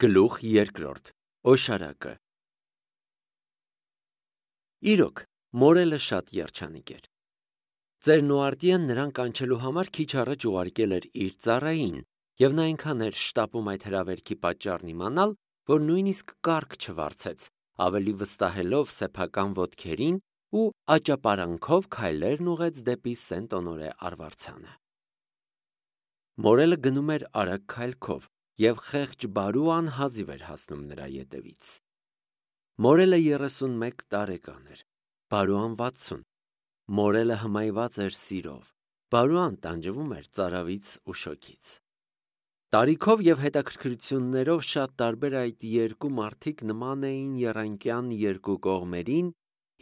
Գլուխ երկրորդ. Օշարակը։ Իրոք, մորելը շատ երջանիկ էր։ Ձեր Նուարտիեն նրան կանչելու համար քիչ առաջ ուղարկել էր իր ծառային, եւ նա այնքան էր շտապում այդ հրավերքի պատճառն իմանալ, որ նույնիսկ կառք չվարձեց, ավելի վստահելով սեփական ոտքերին ու աճապարանքով քայլերն ուղեց դեպի Սենտ Օնորե Մորելը գնում էր արագ քայլքով, եւ խեղճ բարու անհազիվ էր հասնում նրա ետևից։ Մորելը 31 տարեկան էր, բարուան 60։ Մորելը հմայված էր սիրով, բարուան տանջվում էր ծարավից ու շոգից։ Տարիքով եւ հետաքրքրություններով շատ տարբեր այդ երկու մարդիկ նման էին եռանկյան երկու կողմերին,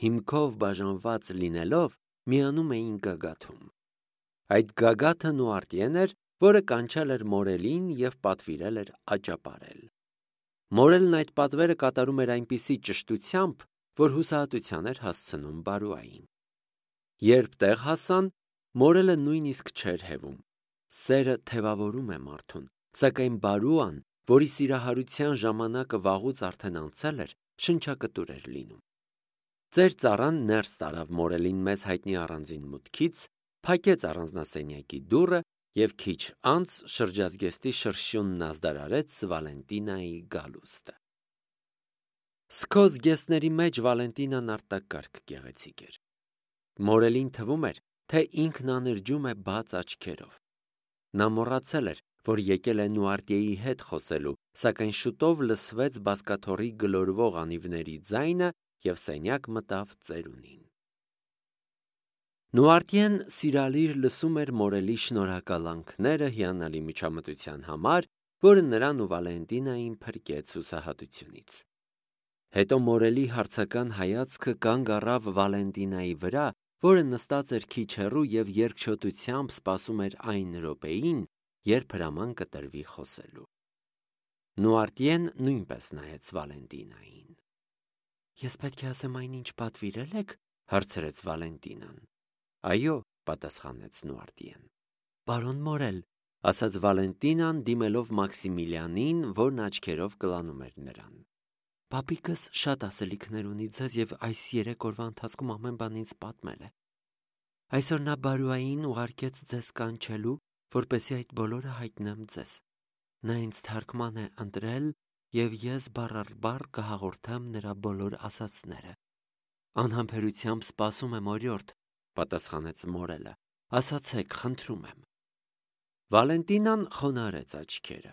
հիմքով բաժանված լինելով միանում էին գագաթում։ Այդ գագաթը Նուարտիեն էր, որը կանչել էր մորելին եւ պատվիրել էր աճապարել։ Մորելն այդ պատվերը կատարում էր այնպիսի ճշտությամբ, որ հուսահատության էր հասցնում բարուային։ Երբ տեղ հասան, մորելը նույնիսկ չէր հևում։ Սերը թևավորում է մարդուն, սակայն բարուան, որի սիրահարության ժամանակը վաղուց արդեն անցել էր, շնչակտուր էր լինում։ Ձեր ծառան ներս տարավ մորելին մեզ հայտնի առանձին մուտքից, փակեց առանձնասենյակի դուռը եւ քիչ անց շրջազգեստի շրշյունն ազդարարեց Վալենտինայի գալուստը։ Սկոզգեստների մեջ Վալենտինան արտակարգ գեղեցիկ էր։ Մորելին թվում էր, թե ինքն անրջում է բաց աչքերով։ Նա մոռացել էր, որ եկել է Նուարտիեի հետ խոսելու, սակայն շուտով լսվեց բազկաթոռի գլորվող անիվների ձայնը եւ սենյակ մտավ ծերունին։ Նուարտիեն սիրալիր լսում էր մորելի շնորհակալանքները հիանալի միջամտության համար, որը նրան ու Վալենտինային փրկեց հուսահատությունից։ Հետո մորելի հարցական հայացքը կանգ առավ Վալենտինայի վրա, որը նստած էր քիչ հեռու եւ երկչոտությամբ սպասում էր այն րոպեին, երբ հրաման կտրվի խոսելու։ Նուարտիեն նույնպես նայեց Վալենտինային։ Ես պետք է ասեմ այնինչ պատվիրել եք, հարցրեց Վալենտինան։ Այո, պատասխանեց Նուարտիեն։ Պարոն Մորել, ասաց Վալենտինան, դիմելով Մաքսիմիլիանին, որն աչքերով կլանում էր նրան։ Պապիկս շատ ասելիքներ ունի ձեզ եւ այս 3 օրվա ընթացքում ամեն բան ինձ պատմել է։ Այսօր նա բարուային ուղարկեց ձեզ կանչելու, որպեսզի այդ բոլորը հայտնեմ ձեզ։ Նա ինձ թարգման է ընտրել եւ ես բառ առ բառ կհաղորդեմ նրա բոլոր ասածները։ Անհամբերությամբ սպասում եմ, օրիորդ, պատասխանեց մորելը։ Ասացեք, խնդրում եմ։ Վալենտինան խոնարհեց աչքերը։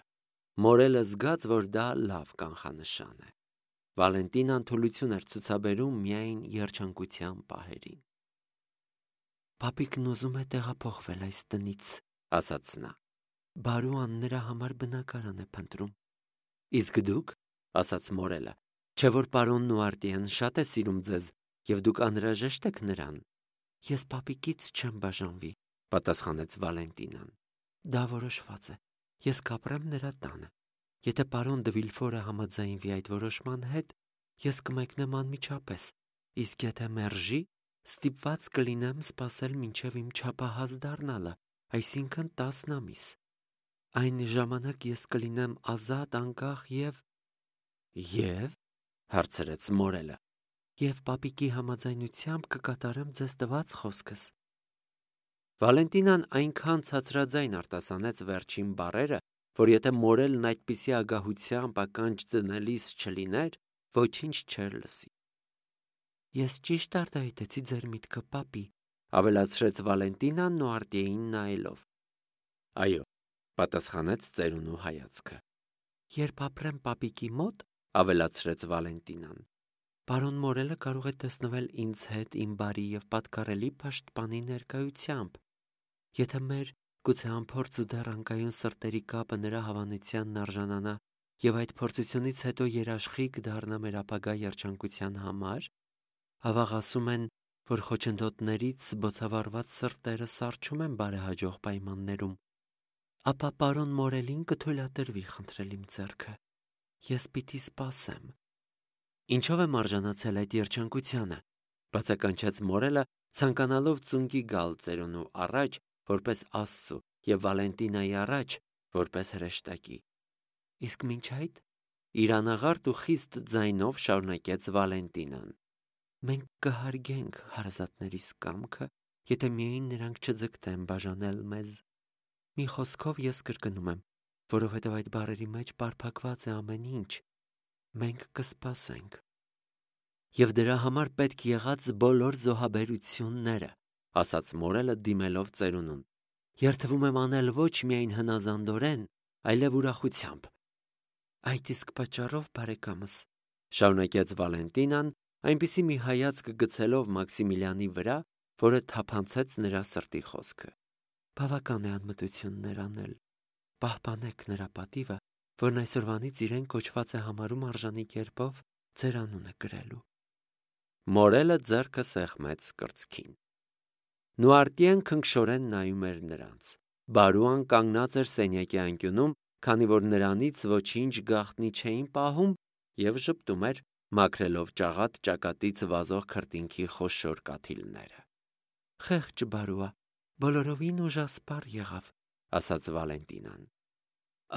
Մորելը զգաց, որ դա լավ կանխանշան է։ Վալենտինան թուլություն էր ցուցաբերում միայն երջանկության պահերին։ Պապիկն ուզում է տեղափոխվել այս տնից, ասաց նա։ Բարուան նրա համար բնակարան է փնտրում։ Իսկ դուք, ասաց մորելը, չէ՞ որ պարոն Նուարտիեն շատ է սիրում ձեզ եւ դուք անհրաժեշտ եք նրան։ Ես պապիկից չեմ բաժանվի, պատասխանեց Վալենտինան։ Դա որոշված է։ Ես կապրեմ նրա տանը։ Եթե պարոն դը Վիլֆորը համաձայնվի այդ որոշման հետ, ես կմեկնեմ անմիջապես, իսկ եթե մերժի, ստիպված կլինեմ սպասել մինչև իմ չափահաս դառնալը, այսինքն 10 ամիս։ Այն ժամանակ ես կլինեմ ազատ, անկախ եւ հարցրեց մորելը։ Եվ պապիկի համաձայնությամբ կկատարեմ ձեզ տված խոսքս։ Վալենտինան այնքան ցածրաձայն արտասանեց վերջին բառերը, որ եթե մորելն այդպիսի ագահությամբ ականջ դնելիս չլիներ, ոչինչ չէր լսի։ Ես ճիշտ արտահայտեցի ձեր միտքը, պապի, ավելացրեց Վալենտինան Նուարտիեին նայելով։ Այո, պատասխանեց ծերունու հայացքը։ Երբ ապրեմ պապիկի մոտ, ավելացրեց Վալենտինան, պարոն Մորելը կարող է տեսնվել ինձ հետ իմ բարի եւ պատկառելի պաշտպանի ներկայությամբ։ Եթե մեր գուցե անփորձ ու դեռ անկայուն սրտերի կապը նրա հավանությանն արժանանա եւ այդ փորձությունից հետո երաշխիք դառնա մեր ապագա երջանկության համար, ավաղ ասում են, որ խոչընդոտներից բոցավառված սրտերը սառչում են բարեհաջող պայմաններում, ապա պարոն Մորելին կթույլատրվի խնդրել իմ ձեռքը։ Ես պիտի սպասեմ։ Ինչով եմ արժանացել այդ երջանկությանը, բացականչեց մորելը, ցանկանալով ծունկի գալ ծերունու առաջ, որպես Աստծու, եւ Վալենտինայի առաջ, որպես հրեշտակի։ Իսկ մինչ այդ Իր անաղարտ ու խիստ ձայնով շարունակեց Վալենտինան. «Մենք կհարգենք հարազատներիս կամքը, եթե միայն նրանք չձգտեն բաժանել մեզ։ Մի խոսքով ես կրկնում եմ, որովհետև այդ բառերի մեջ պարփակված է ամեն ինչ։ Մենք կսպասենք։ Եվ դրա համար պետք եղած բոլոր զոհաբերությունները», ասաց մորելը դիմելով ծերունուն, «երդվում եմ անել ոչ միայն հնազանդորեն, այլև ուրախությամբ»։ «Այդ իսկ պատճառով, բարեկամս», շարունակեց Վալենտինան, այնպիսի մի հայացք գցելով Մաքսիմիլիանի վրա, որը թափանցեց նրա սրտի խոսքը, «բավական է անմտություններ անել։ Պահպանեք նրա պատիվը, որն այսօրվանից իրեն կոչված է համարում արժանի կերպով ձեր անունը կրելու»։ Մորելը ձեռքը սեղմեց կրծքին։ Նուարտիեն քնքշորեն նայում էր նրանց։ Բարուան կանգնած էր սենյակի անկյունում, քանի որ նրանից ոչինչ գաղտնի չէին պահում, և ժպտում էր, մաքրելով ճաղատ ճակատից վազող քրտինքի խոշոր կաթիլները։ «Խեղճ Բարուա, բոլորովին ուժասպառ եղավ», ասաց Վալենտինան։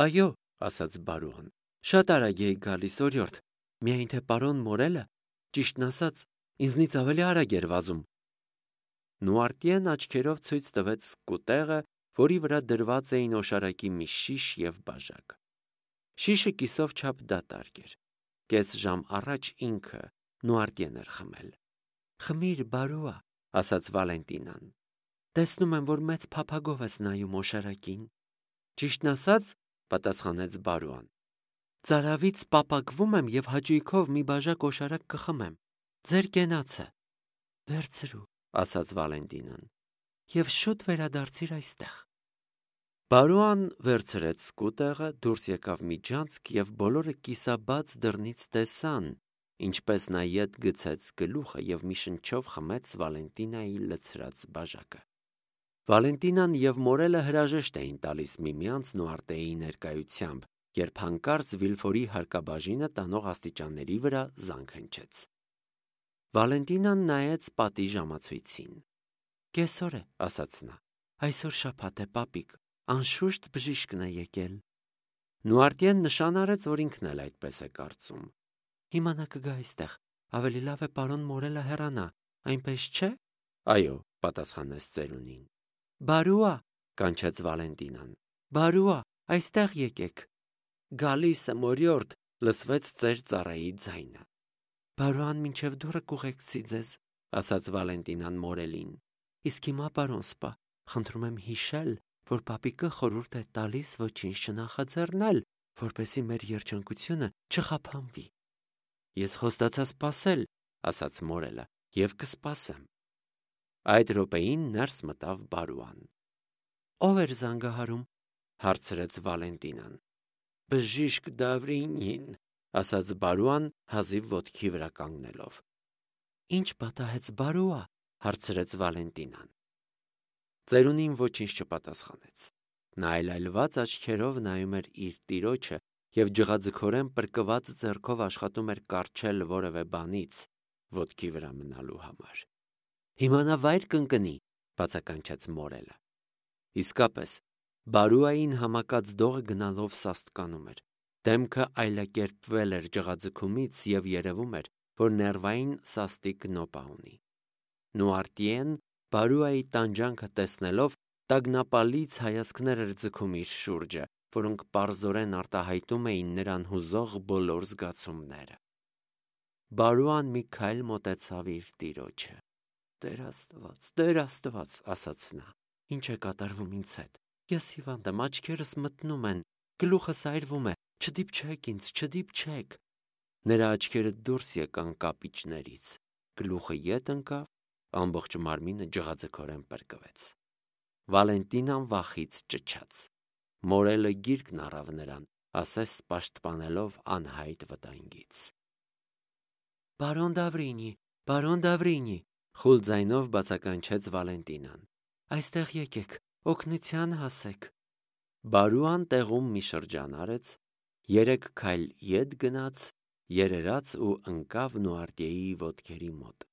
«Այո», ասաց Բարուան, «շատ արագ էի գալիս, օրիորդ, միայն թե պարոն Մորելը, ճիշտն ասած, ինձնից ավելի արագ էր վազում»։ Նուարտիեն աչքերով ցույց տվեց սկուտեղը, որի վրա դրված էին օշարակի մի շիշ և բաժակ։ Շիշը կիսով չափ դատարկ էր։ Կես ժամ առաջ ինքը Նուարտիեն էր խմել։ «Խմիր, Բարուա», ասաց Վալենտինան։ «Տեսնում եմ, որ մեծ փափագով ես նայում օշարակին»։ «Ճիշտն ասած», պատասխանեց Բարուան, «ծարավից պապակվում եմ և հաճույքով մի բաժակ օշարակ կխմեմ։ Ձեր կենացը»։ «Վերցրու», ասաց Վալենտինան, «և շուտ վերադարձիր այստեղ»։ Բարուան վերցրեց սկուտեղը, դուրս եկավ միջանցք և բոլորը կիսաբաց դռնից տեսան, ինչպես նա ետ գցեց գլուխը և մի շնչով խմեց Վալենտինայի լցրած բաժակը։ Վալենտինան և Մորելը հրաժեշտ էին տալիս միմյանց Նուարտիեի ներկայությամբ, երբ հանկարծ Վիլֆորի հարկաբաժինը տանող աստիճանների վրա զանգ հնչեց։ Վալենտինան նայեց պատի ժամացույցին։ «Կեսօր է», ասաց նա, «այսօր շաբաթ է, պապիկ, անշուշտ բժիշկն է եկել»։ Նուարտիեն նշան արեց, որ ինքն էլ այդպես է կարծում։ «Հիմա նա կգա այստեղ, ավելի լավ է պարոն Մորելը հեռանա, այնպես չէ»։ «Այո», պատասխանեց ծերունին։ «Բարուա», կանչեց Վալենտինան, «Բարուա, այստեղ եկեք»։ «Գալիս եմ, օրիորդ», լսվեց ծեր ծառայի ձայնը։ «Բարուան մինչև դուռը կուղեկցի ձեզ», ասաց Վալենտինան Մորելին։ «Իսկ հիմա, պարոն սպա, խնդրում եմ հիշել, որ պապիկը խորհուրդ է տալիս ոչինչ չնախաձեռնել, որպեսզի մեր երջանկությունը չխափանվի»։ «Ես խոստացա սպասել», ասաց Մորելը, «և կսպասեմ»։ Այդ րոպեին ներս մտավ Բարուան։ «Ո՞վ էր զանգահարում», հարցրեց Վալենտինան։ «Բժիշկ Դավրինին», ասաց Բարուան, հազիվ ոտքի վրա կանգնելով։ «Ինչ պատահեց, Բարուա», հարցրեց Վալենտինան։ Ծերունին ոչինչ չպատասխանեց։ Նա այլայլված աչքերով նայում էր իր տիրոջը և ջղաձգորեն պրկված ձեռքով աշխատում էր կառչել որևէ բանից ոտքի վրա մնալու համար։ «Հիմա նա վայր կընկնի», բացականչեց Մորելը։ Իսկապես, Բարուային համակած դողը գնալով սաստկանում էր։ Դեմքը այլակերպվել էր ջղաձգումից և երևում էր, որ ներվային սաստիկ նոպա ունի։ Նուարտիեն, Բարուայի տանջանքը տեսնելով, տագնապալից հայացքներ էր ձգում իր շուրջը, որոնք պարզորեն արտահայտում էին նրան հուզող բոլոր զգացումները։ Բարուան մի քայլ մոտեցավ իր տիրոջը։ Տեր Աստված, ասաց նա, ի՞նչ է կատարվում ինձ հետ։ Ես հիվանդ եմ, աչքերս մթնում են, գլուխս այրվում է, չդիպչեք ինձ, չդիպչեք։ Նրա աչքերը դուրս եկան կապիճներից, գլուխը ետ ընկավ, ամբողջ մարմինը ջղաձգորեն պրկվեց։ Վալենտինան վախից ճչաց։ Մորելը գիրկն առավ նրան, ասես պաշտպանելով անհայտ վտանգից։ Բարոն Դավրինի, խուլ ձայնով բացականչեց Վալենտինան, այստեղ եկեք, օգնության հասեք։ Բարուան տեղում մի շրջան արեց, 3 քայլ ետ գնաց, երերաց ու ընկավ Նուարտիեի ոտքերի մոտ,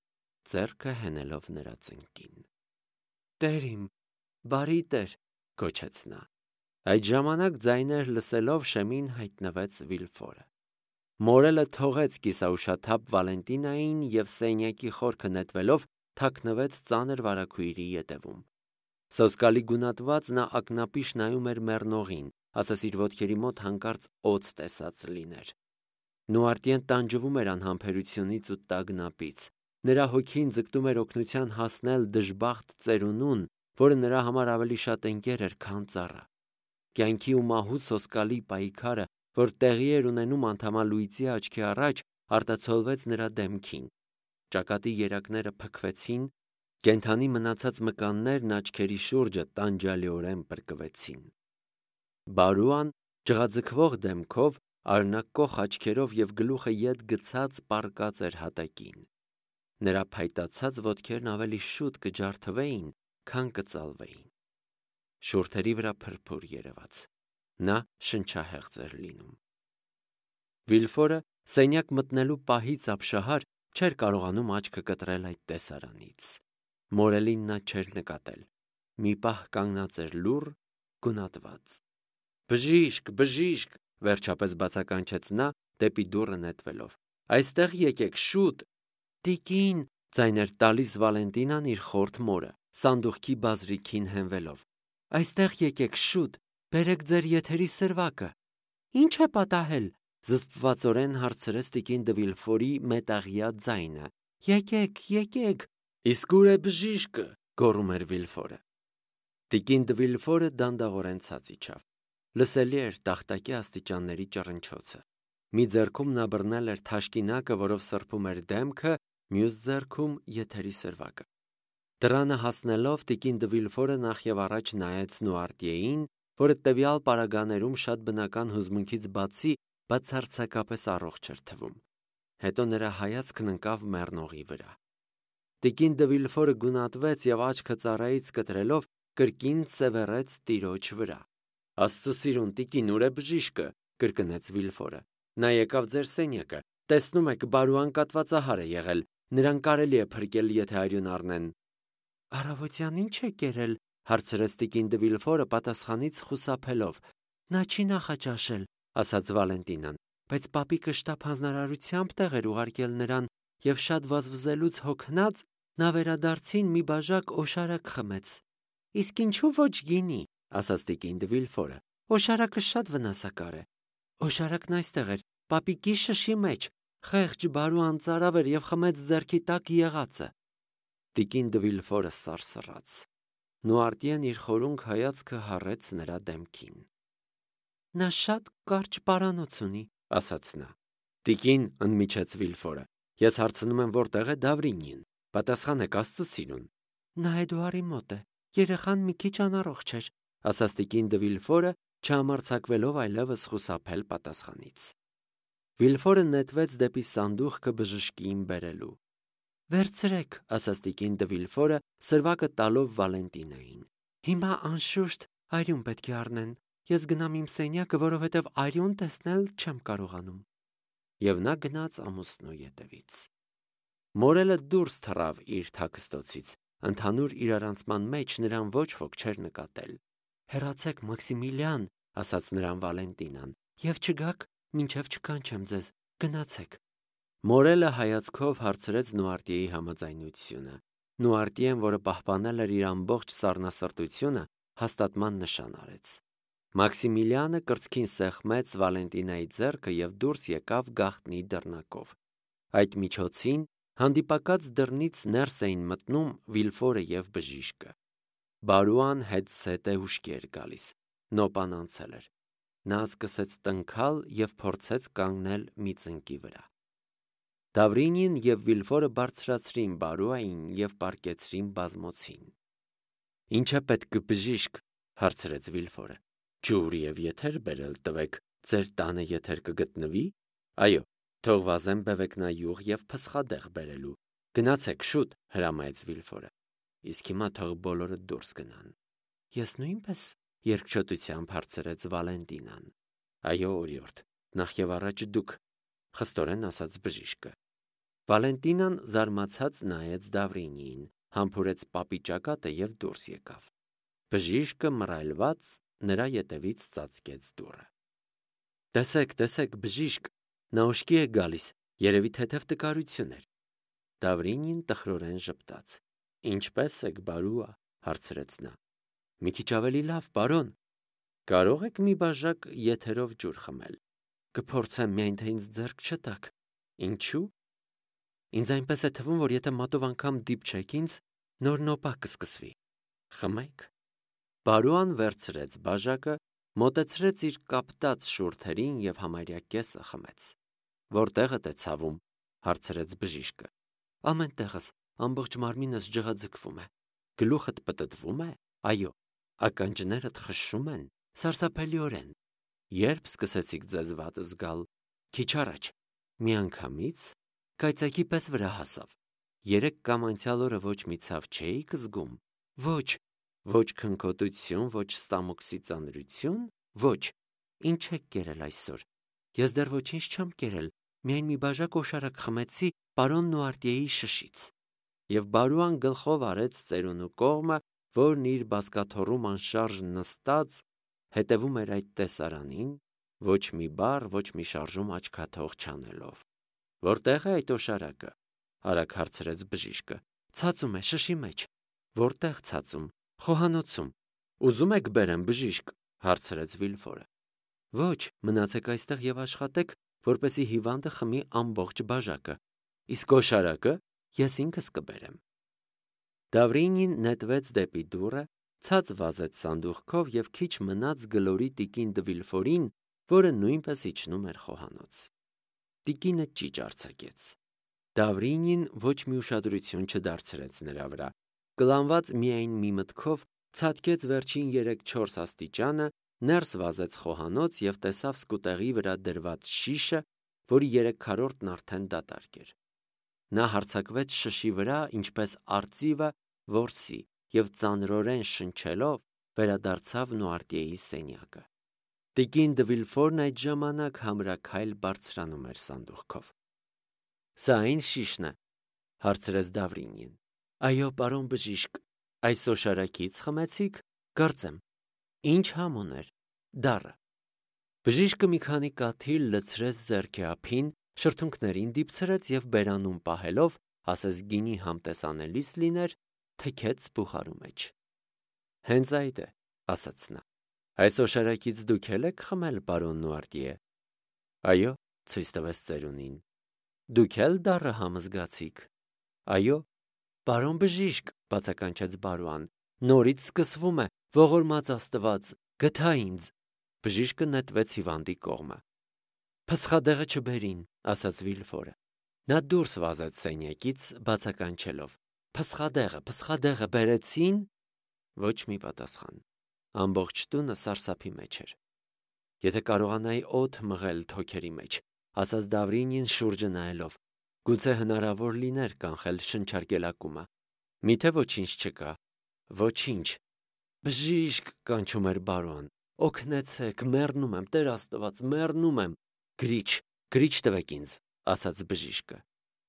ձեռքը հենելով նրա ծնկին։ «Տեր իմ, բարի Տեր», գոչեց նա։ Այդ ժամանակ ձայներ լսելով շեմին հայտնվեց Վիլֆորը։ Մորելը թողեց կիսաուշաթափ Վալենտինային և սենյակի խորքը նետվելով թաքնվեց ծանր վարագույրի ետևում։ Սոսկալի գունատված նա ակնապիշ նայում էր մեռնողին, ասես իր ոտքերի մոտ հանկարծ օձ տեսած լիներ։ Նուարտիեն տանջվում էր անհամբերությունից ու տագնապից։ Նրա հոգին ձգտում էր օգնության հասնել դժբախտ ծերունուն, որը նրա համար ավելի շատ ընկեր էր, քան ծառա։ Կյանքի ու մահու սոսկալի պայքարը, որ տեղի էր ունենում անդամալույծի աչքի առաջ, արտացոլվեց նրա դեմքին։ Ճակատի երակները փքվեցին, կենդանի մնացած մկաններն աչքերի շուրջը տանջալիորեն պրկվեցին։ Բարուան ջղաձգվող դեմքով, արյունակոխ աչքերով և գլուխը ետ գցած պառկած էր հատակին։ Նրա փայտացած ոտքերն ավելի շուտ կջարդվեին, քան կծալվեին։ Շուրթերի վրա փրփուր երևաց։ Նա շնչահեղձ էր լինում։ Վիլֆորը սենյակ մտնելու պահից ապշահար չէր կարողանում աչքը կտրել այդ տեսարանից։ Մորելին նա չէր նկատել։ Մի պահ կանգնած էր լուռ, գունատված։ Բժիշկ, բժիշկ, վերջապես բացականչեց նա դեպի դուռը նետվելով։ Այստեղ եկեք, շուտ։ Տիկին, ձայն էր տալիս Վալենտինան իր խորթ մորը, սանդուղքի բազրիքին հենվելով։ Այստեղ եկեք, շուտ, բերեք ձեր եթերի սրվակը։ Ինչ է պատահել, զսպվածորեն հարցրեց տիկին դը Վիլֆորի մետաղյա ձայնը։ Եկեք։ Իսկ ուր է բժիշկը, գոռում էր Վիլֆորը։ Տիկին դը Վիլֆորը դանդաղորեն ցած իջավ։ Լսելի էր տախտակի աստիճանների ճռնչոցը։ Մի ձեռքում նա բռնել էր թաշկինակը, որով սրբում էր դեմքը, մյուս ձեռքում եթերի սրվակը։ Դռանը հասնելով տիկին դը Վիլֆորը նախևառաջ նայեց Նուարտիեին, որը տվյալ պարագաներում շատ բնական հուզմունքից բացի բացարձակապես առողջ էր թվում։ Հետո նրա հայացքն ընկավ մեռնողի վրա։ Տիկին դը Վիլֆորը գունատվեց և աչքը ծառայից կտրելով կրկին սևեռեց տիրոջ վրա։ Աստծո սիրուն տիկին, ուր է բժիշկը, կրկնեց Վիլֆորը։ Նա եկավ ձեր սենյակը, տեսնում եք, բարուան կատվածահար է եղել, նրան կարելի է փրկել, եթե արյուն առնեն։ Առավոտյան ինչ է կերել, հարցրեց տիկին դը Վիլֆորը պատասխանից խուսափելով։ Նա չի նախաճաշել, ասաց Վալենտինան, բայց պապիկը շտապ հանձնարարությամբ տեղ էր ուղարկել նրան և շատ վազվզելուց հոգնած նա վերադարձին մի բաժակ օշարակ խմեց։ Իսկ ինչու ոչ գինի, ասաց տիկին դը Վիլֆորը։ Օշարակը շատ վնասակար է։ Օշարակն այստեղ էր, պապիկի շշի մեջ, խեղճ բարուան ծարավ էր և խմեց ձեռքի տակ եղածը։ Տիկին դը Վիլֆորը սարսռաց։ Նուարտիեն իր խորունկ հայացքը հառեց նրա դեմքին։ Նա շատ կարճ պարանոց ունի, ասաց նա։ Տիկին, ընդմիջեց Վիլֆորը, ես հարցնում եմ որտեղ է Դավրինին, պատասխանեք Աստծո սիրուն։ Նա Էդուարի մոտ է, երեխան մի քիչ անառողջ էր, ասաց տիկին դը Վիլֆորը, չհամարձակվելով այլևս խուսափել պատասխանից։ Վիլֆորը նետվեց դեպի սանդուղքը բժշկին բերելու։ Վերցրեք, ասաց տիկին դը Վիլֆորը, սրվակը տալով Վալենտինային։ Հիմա անշուշտ արյուն պետք է առնեն։ Ես գնամ իմ սենյակը, որովհետև արյուն տեսնել չեմ կարողանում։ Եվ նա գնաց ամուսնու ետևից։ Մորելը դուրս թռավ իր թաքստոցից։ Ընդհանուր իրարանցման մեջ նրան ոչ ոք չէր նկատել։ Հեռացեք, Մաքսիմիլիան, ասաց նրան Վալենտինան, և չգաք, մինչև չկանչեմ ձեզ, գնացեք։ Մորելը հայացքով հարցրեց Նուարտիեի համաձայնությունը։ Նուարտիեն, որը պահպանել էր իր ամբողջ սառնասրտությունը, հաստատման նշան արեց։ Մաքսիմիլիանը կրծքին սեղմեց Վալենտինայի ձեռքը և դուրս եկավ գաղտնի դռնակով։ Այդ միջոցին հանդիպակաց դռնից ներս էին մտնում Վիլֆորը և բժիշկը։ Բարուան հետզհետե ուշքի էր գալիս։ Նոպան անցել էր։ Նա սկսեց տնքալ և փորձեց կանգնել մի ծնկի վրա։ Դավրինին և Վիլֆորը բարձրացրին Բարուային և պառկեցրին բազմոցին։ Ինչ է պետք, բժիշկ, հարցրեց Վիլֆորը։ Ջուր և եթեր բերել տվեք, ձեր տանը եթեր կգտնվի։ Այո, թող վազեմ բևեկնայուղ և փսխադեղ բերելու։ Գնացեք շուտ, հրամայեց Վիլֆորը։ Իսկ հիմա թող բոլորը դուրս գնան։ Ես նույնպես, երկչոտությամբ հարցրեց Վալենտինան։ Այո, օրիորդ, նախ եւ առաջ դուք, խստորեն ասաց բժիշկը։ Վալենտինան զարմացած նայեց Դավրինիին, համբուրեց պապի ճակատը և դուրս եկավ։ Բժիշկը մռայլված նրա ետևից ծածկեց դուռը։ Տեսեք, բժիշկ, Նա ուշքի է գալիս, երևի թեթև տկարություն էր։ Դավրինին տխրորեն ժպտաց։ Ինչպե՞ս եք, բարուա, հարցրեց նա։ Մի քիչ ավելի լավ, պարոն։ Կարող եք մի բաժակ եթերով ջուր խմել։ Կփորձեմ, միայն թե ինձ ձեռք չտաք։ Ինչու՞։ Ինձ այնպես է թվում, որ եթե մատով անգամ դիպչեք ինձ, նոր նոպա կսկսվի։ Խմեք։ Բարուան վերցրեց բաժակը, մոտեցրեց իր կապտած շուրթերին և համարյա կեսը խմեց։ Որտեղդ է ցավում, հարցրեց բժիշկը։ Ամեն տեղս, ամբողջ մարմինս ջղաձգվում է։ Գլուխդ պտտվում է։ Այո, ականջներդ խշշում են, սարսափելիորեն։ Երբ սկսեցիք ձեզ վատ զգալ։ Քիչ առաջ։ Միանգամից կայծակի պես վրա հասավ։ Երեկ կամ անցյալ օրը ոչ մի ցավ չէիք զգում։ Ոչ քնքոտություն, ոչ ստամոքսի ծանրություն, ոչ։ Ինչ եք կերել այսօր։ Ես դեռ ոչինչ չեմ կերել, միայն մի բաժակ օշարակ խմեցի պարոն Նուարտիեի շշից։ Եվ Բարուան գլխով արեց ծերունու կողմը, որն իր բազկաթոռում անշարժ նստած հետևում էր այդ տեսարանին, ոչ մի բառ, ոչ մի շարժում աչքաթող չանելով։ Որտեղ է այդ օշարակը, արագ հարցրեց բժիշկը։ Ցածում է, շշի մեջ։ Որտեղ ցածում։ Խոհանոցում։ Ուզում եք բերեմ, բժիշկ, հարցրեց Վիլֆորը։ Ոչ, մնացեք այստեղ և աշխատեք, որպեսզի հիվանդը խմի ամբողջ բաժակը։ Իսկ օշարակը ես ինքս կբերեմ։ Դավրինին նետվեց դեպի դուռը, ցած վազեց սանդուղքով և քիչ մնաց գլորի տիկին Դվիլֆորին, որը նույնպես իջնում էր խոհանոց։ Տիկինը ճիճ արձակեց։ Դավրինին ոչ մի ուշադրություն չդարձրեց նրա վրա։ Կլանված միայն մի մտքով ցատկեց վերջին 3-4 աստիճանը, ներս վազեց խոհանոց և տեսավ սկուտեղի վրա դրված շիշը, որի 3/4-ն արդեն դատարկ էր։ Նա հարձակվեց շշի վրա, ինչպես արծիվը որսի, և ծանրորեն շնչելով վերադարձավ Նուարտիեի սենյակը։ Տիկին Դվիլֆորն այդ ժամանակ համրաքայլ բարձրանում էր սանդուղքով։ Սա այն շիշն է, հարցրեց Դավրինին։ Այո, պարոն բժիշկ, այս օշարակից խմեցիք, կարծեմ։ Ինչ համ ուներ։ Դառը։ Բժիշկը մի քանի կաթիլ լցրեց ձեռքի ափին, շրթունքներին դիպցրեց և բերանում պահելով, ասես գինի համտեսանելիս լիներ, թքեց բուխարու մեջ։ Հենց այդ է, ասաց նա։ Այս օշարակից դուք էլ եք խմել, պարոն Նուարտիե։ Այո, ցույց տվեց ծերունին։ Դուք էլ դառը համ զգացիք։ Այո, պարոն բժիշկ, բացականչեց Բարուան, նորից սկսվում է, ողորմած Աստված, գթա ինձ։ Բժիշկը նետվեց հիվանդի կողմը։ Փսխադեղը չբերին, ասաց Վիլֆորը։ Նա դուրս վազեց սենյակից, բացականչելով. Փսխադեղը բերեցին։ Ոչ մի պատասխան։ Ամբողջ տունը սարսափի մեջ էր։ Եթե կարողանայի օդ մղել թոքերի մեջ, ասաց Դավրինին շուրջը նայելով, գուցե հնարավոր լիներ կանխել շնչարկելակումը։ Միթե ոչինչ չկա։ Ոչինչ։ Բժիշկ, կանչում էր Բարուան, օգնեցեք, մեռնում եմ, Տեր Աստված, մեռնում եմ։ Գրիչ տվեք ինձ, ասաց բժիշկը։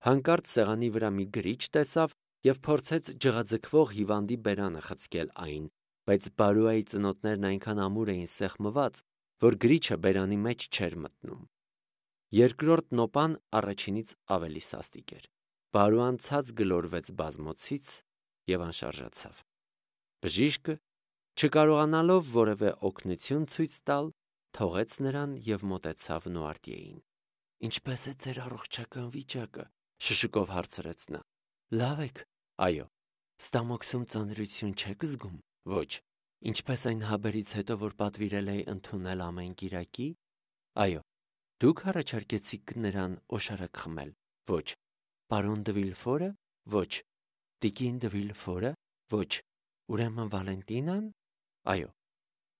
Հանկարծ սեղանի վրա մի գրիչ տեսավ և փորձեց ջղաձգվող հիվանդի բերանը խցկել այն, բայց Բարուայի ծնոտներն այնքան ամուր էին սեղմված, որ գրիչը բերանի մեջ չէր մտնում։ Երկրորդ նոպան առաջինից ավելի սաստիկ էր։ Բարուան ցած գլորվեց բազմոցից և անշարժացավ։ Բժիշկը, չկարողանալով որևէ օգնություն ցույց տալ, թողեց նրան և մոտեցավ Նուարտիեին։ Ինչպե՞ս է ձեր առողջական վիճակը, շշուկով հարցրեց նա։ Լավ եք։ Այո։ Ստամոքսում ծանրություն չեք զգում։ Ոչ։ Ինչպես այն հաբերից հետո, որ պատվիրել էի ընդունել ամեն կիրակի։ Այո։ Դուք առաջարկեցիք նրան օշարակ խմել։ Ոչ։ Պարոն Դվիլֆորը։ Ոչ։ Տիկին Դվիլֆորը։ Ոչ։ Ուրեմն Վալենտինան։ Այո։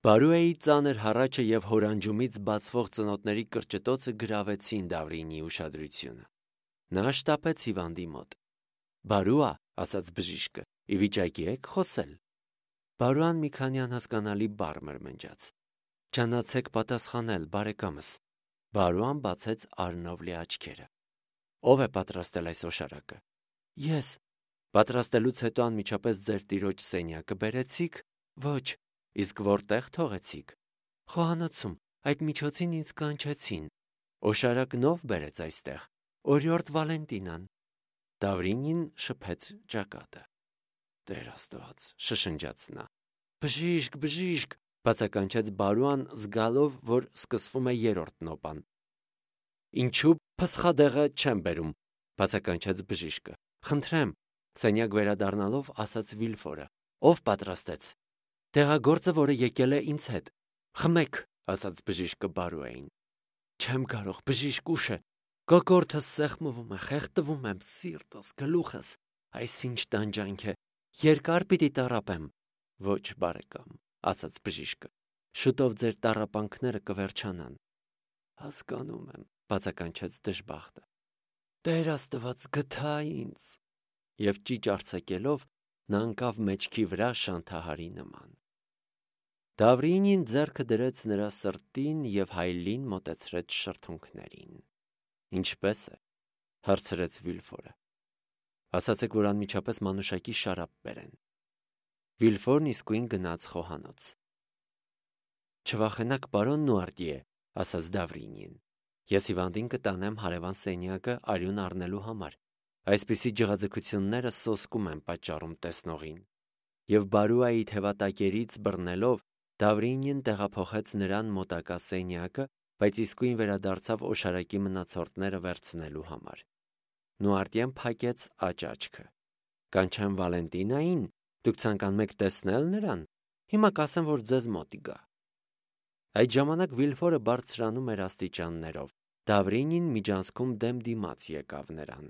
Բարուեի ծանր հառաչը և հորանջումից բացվող ծնոտների կրճտոցը գրավեցին Դավրինիի ուշադրությունը։ Նա շտապեց հիվանդի մոտ։ Բարուա, ասաց բժիշկը, ի վիճակի եք խոսել։ Բարուան մի քանի անհասկանալի բառ մրմնջաց։ Չանացեք պատասխանել, բարեկամս։ Բարուան բացեց արնովլի աչքերը։ Ո՞վ է պատրաստել այս օշարակը։ Ես։ Պատրաստելուց հետո անմիջապես ձեր տիրոջ սենյակը բերեցիք։ Ոչ։ Իսկ որտեղ թողեցիք։ Խոհանոցում, այդ միջոցին ինձ կանչեցին։ Օշարակնով բերեց այստեղ, օրիորդ Վալենտինան։ Դավրինին շփեց ճակատը։ Տեր Աստված, շշնջաց նա։ Բժիշկ, բժիշկ, բացականչեց Բարուան, զգալով, որ սկսվում է երրորդ նոպան։ Ինչու փսխադեղը չեմ բերում, բացականչեց բժիշկը։ Խնդրեմ, սենյակ վերադառնալով ասաց Վիլֆորը։ Ով պատրաստեց։ Տեղագործը, որը եկել է ինձ հետ։ Խմեք, ասաց բժիշկը Բարուային։ Չեմ կարող, բժիշկ, ուշ է։ Կոկորդս սեղմվում է, խեղդվում եմ, սիրտս, գլուխս։ Այս ինչ տանջանք է։ Երկար պիտի տառապեմ։ Ոչ, բարեկամ, ասաց բժիշկը։ Շուտով ձեր տառապանքները կվերջանան։ Հասկանում եմ, բացականչեց դժբախտը։ Տեր Աստված, գթա ինձ։ Եվ ճիճ արձակելով նա ընկավ մեջքի վրա շանթահարի նման։ Դավրինին ձեռքը դրեց նրա սրտին և հայելին մոտեցրեց շրթունքներին։ Ինչպե՞ս է, հարցրեց Վիլֆորը։ Ասացեք, որ անմիջապես մանուշակի շարապ բերեն։ Վիլֆորն իսկույն գնաց խոհանոց։ Չվախենաք, պարոն Նուարտիե, ասաց Դավրինին։ Ես հիվանդին կտանեմ հարևան սենյակը արյուն առնելու համար։ Այսպիսի ջղաձգությունները սոսկում են պատճառում տեսնողին։ Եվ Բարուայի թևատակերից բռնելով Դավրինին տեղափոխեց նրան մոտակա սենյակը, բայց իսկույն վերադարձավ օշարակի մնացորդները վերցնելու համար։ Նուարտիեն փակեց աճաճքը։ Կանչեմ Վալենտինային, դուք ցանկանում եք տեսնել նրան։ Հիմա կասեմ, որ ձեզ մոտ գա։ Այդ ժամանակ Վիլֆորը բարձրանում էր աստիճաններով։ Դավրինին միջանցքում դեմ դիմաց եկավ նրան։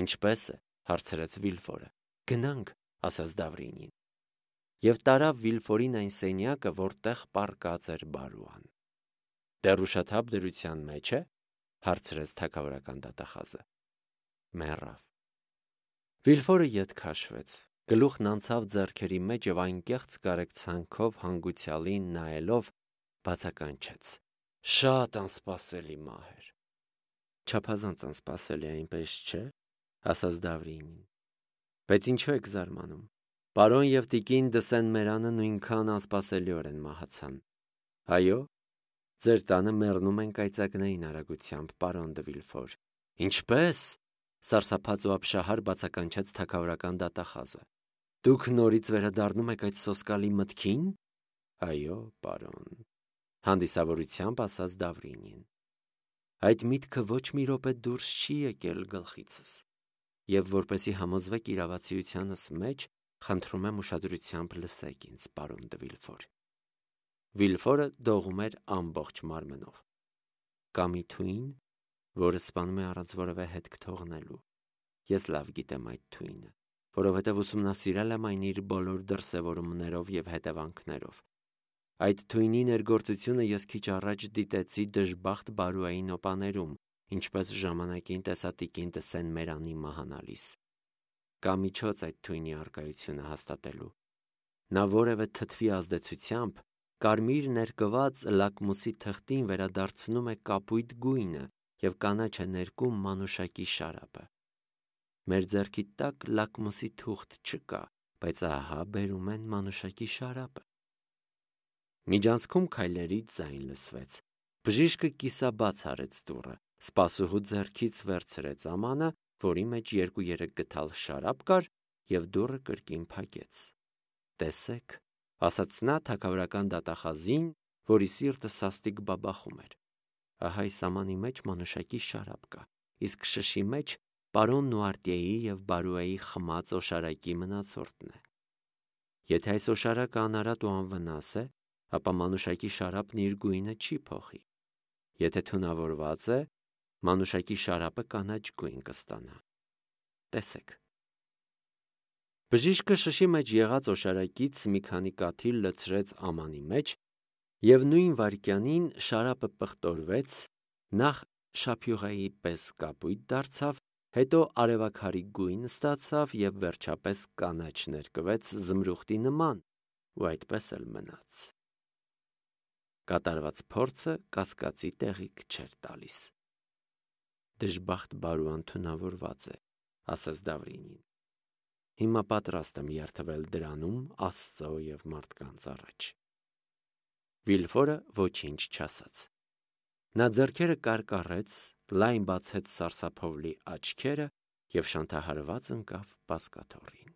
Ինչպե՞ս է, հարցրեց Վիլֆորը։ Գնանք, ասաց Դավրինին։ Եվ տարավ Վիլֆորին այն սենյակը, որտեղ պառկած էր Բարուան։ Դեռ ուշաթափ դրության մեջ է, հարցրեց թագավորական դատախազը։ Մեռավ։ Վիլֆորը ետ քաշվեց, գլուխն անցավ ձեռքերի մեջ եւ անկեղծ կարեկցանքով հանգուցյալին նայելով բացականչեց. Շատ անսպասելի մահ էր։ Չափազանց անսպասելի, այնպես չէ, ասաց Դավրինին։ Բայց ինչու եք զարմանում։ Պարոն եւ տիկին Դսեն-Մերանը նույնքան անսպասելիորեն մահացան։ Այո, ձեր տանը մեռնում են կայծակնային արագությամբ, պարոն դե Վիլֆոր։ Ինչպե՞ս, սարսափած ու ապշահար բացականչեց թագավորական դատախազը։ Դուք նորից վերադառնում եք այդ սոսկալի մտքին։ Այո, պարոն, հանդիսավորությամբ ասաց Դավրինին։ Այդ միտքը ոչ մի րոպե դուրս չի եկել գլխիցս։ Եվ որպեսի համոզվեք իրավացիությանս մեջ, խնդրում եմ ուշադրությամբ լսեք ինձ, պարոն դե Վիլֆոր։ Վիլֆորը դողում էր ամբողջ մարմնով։ Կա մի թույն, որը սպանում է առանց որևէ հետք թողնելու։ Ես լավ գիտեմ այդ թույնը, որովհետև ուսումնասիրել եմ այն իր բոլոր դրսևորումներով և հետևանքներով։ Այդ թույնի ներգործությունը ես քիչ առաջ դիտեցի դժբախտ Բարուայի նոպաներում, ինչպես ժամանակին տեսատիկին Դսեն-Մերանի մահանալիս։ Կա միջոց այդ թույնի առկայությունը հաստատելու։ Նա որևէ թթվի ազդեցությամբ կարմիր ներկված լակմուսի թղթին վերադարձնում է կապույտ գույնը և կանաչ է ներկում մանուշակի շարապը։ Մեր ձեռքի տակ լակմուսի թուղթ չկա, բայց ահա բերում են մանուշակի շարապը։ Միջանցքում քայլերի ձայն լսվեց։ Բժիշկը կիսաբաց արեց դուռը, սպասուհու ձեռքից վերցրեց ամանը, որի մեջ 2-3 գդալ շարապ կար, և դուռը կրկին փակեց։ Տեսեք, ասաց նա թագավորական դատախազին, որի սիրտը սաստիկ բաբախում էր։ Ահա այս ամանի մեջ մանուշակի շարապ կա, իսկ շշի մեջ պարոն Նուարտիեի և Բարուայի խմած օշարակի մնացորդն է։ Եթե այս օշարակը անարատ ու անվնաս է, ապա մանուշակի շարապն իր գույնը չի փոխի։ Եթե թունավորված է, մանուշակի շարապը կանաչ գույն կստանա։ Տեսեք։ Բժիշկը շշի մեջ եղած օշարակից մի քանի կաթիլ լցրեց ամանի մեջ, և նույն վայրկյանին շարապը պղտորվեց, նախ շափյուղայի պես կապույտ դարձավ, հետո արևաքարի գույն ստացավ և վերջապես կանաչ ներկվեց զմրուխտի նման ու այդպես էլ մնաց։ Կատարված փորձը կասկածի տեղիք չէր տալիս։ Դժբախտ Բարուան թունավորված է, ասաց Դավրինին։ Հիմա պատրաստ եմ երդվել դրանում Աստծո և մարդկանց առաջ։ Վիլֆորը ոչինչ չասաց։ Նա ձեռքերը կարկառեց, լայն բացեց սարսափով լի աչքերը և շանթահարված ընկավ բազկաթոռին։